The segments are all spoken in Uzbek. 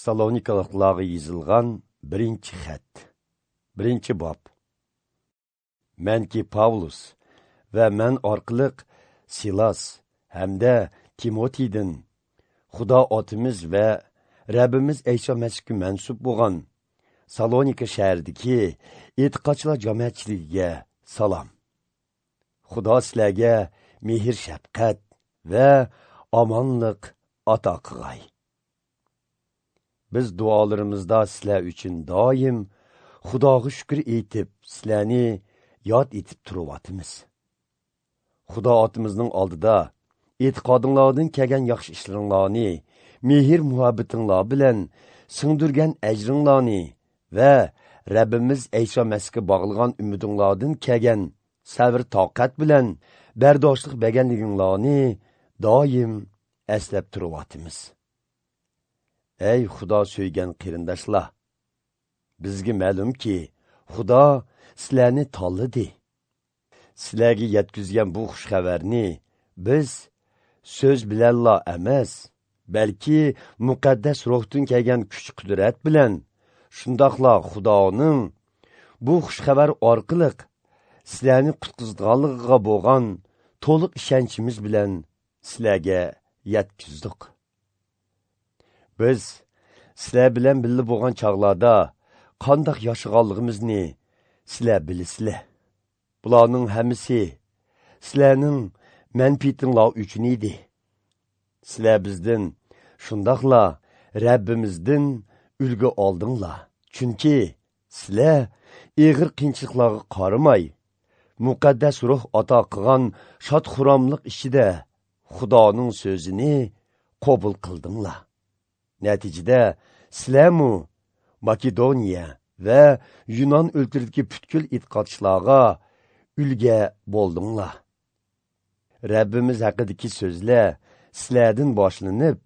Salonikaliklarga yozilgan birinchi xat. Birinchi bob. Manki Pavlus va men orqali Silas hamda Timotiydan Xudo otimiz va Rabbimiz Ayso Masihga mansub bo'lgan Salonika shahridagi e'tiqodchilar jamoatchiligiga salom. Xudo sizlarga mehr shafqat va omonlik ato qilg'ay. Biz duolarimizda sizlar uchun doim Xudoga shukr etib, sizlarni yod etib turyapmiz. Xudo otimizning oldida e'tiqodinglardan kelgan yaxshi ishlaringlarni, mehr muhabbatinglar bilan singdirgan ajringlarni va Rabbimiz Ayso Masihga bog'lagan umidinglardan kelgan sabr toqat bilan bardoshlik berganliginglarni doim eslab turyapmiz. Ey Xudo so'ygan qarindoshlar, bizga ma'lumki, Xudo sizlarni tanladi. Sizlarga yetkazgan bu xush xabarni biz so'z bilanla emas, balki muqaddas ruhdan kelgan kuch-qudrat bilan, shundoqla Xudoning bu xush xabar orqali sizlarni qutqizganligiga bo'lgan to'liq ishonchimiz bilan sizlarga yetkazdik. Biz sizlar bilan birga bo'lgan chog'larda qandoq yashaganligimizni sizlar bilasizlar. Bularning hammasi sizlarning manfaatinglar uchun edi. Sizlar bizdan, shundoqla Rabbimizdan ulgu oldinglar. Chunki sizlar ig'ir qiyinchiliklarga qaramay, muqaddas ruh ato qilgan shod-xurramlik ichida Xudoning so'zini qabul qildinglar. Natijada sizlarmu Makedoniya va Yunon o'lkasidagi butkul e'tiqodchilarga ulga bo'ldinglar. Rabbimiz haqidagi so'zlar sizlardan boshlanib,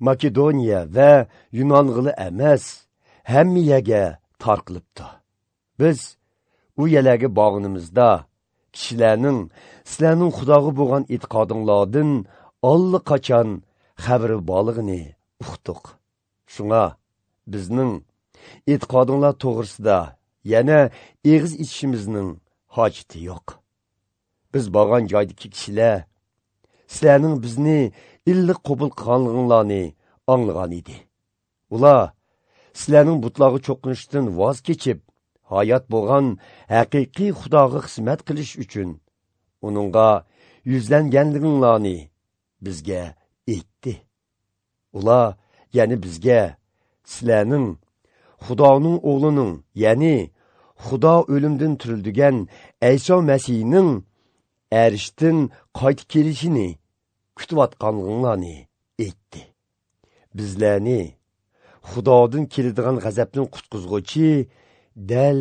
Makedoniya va Yunong'ila emas, hamma yerga tarqalibdi. Biz u yerlarga borganimizda kishilarning sizlarning Xudoga bo'lgan e'tiqodinglardan allaqachon xabari borligini uqdik. Shunga bizning e'tiqodinglar to'g'risida yana eg'iz ichishimizning hojati yo'q. Biz borgan joydagi kishilar sizlarning bizni illiq qabul qilganliginglarni anglagan edi. Ular sizlarning butlarga cho'qinishdan voz kechib, hayot bo'lgan haqiqiy Xudoga xizmat qilish uchun uningga yuzlanganliginglarni bizga aytdi. Ular ya'ni bizga sizlarning Xudoning o'g'lining, ya'ni Xudo o'limdan tirildigan Ayso Masihning arishdan qaytib kelishini kutayotganliginglarni aytdi. Bizlarni Xudodan keladigan g'azabdan qutqizg'uchi dal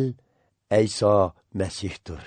Ayso Masihdir.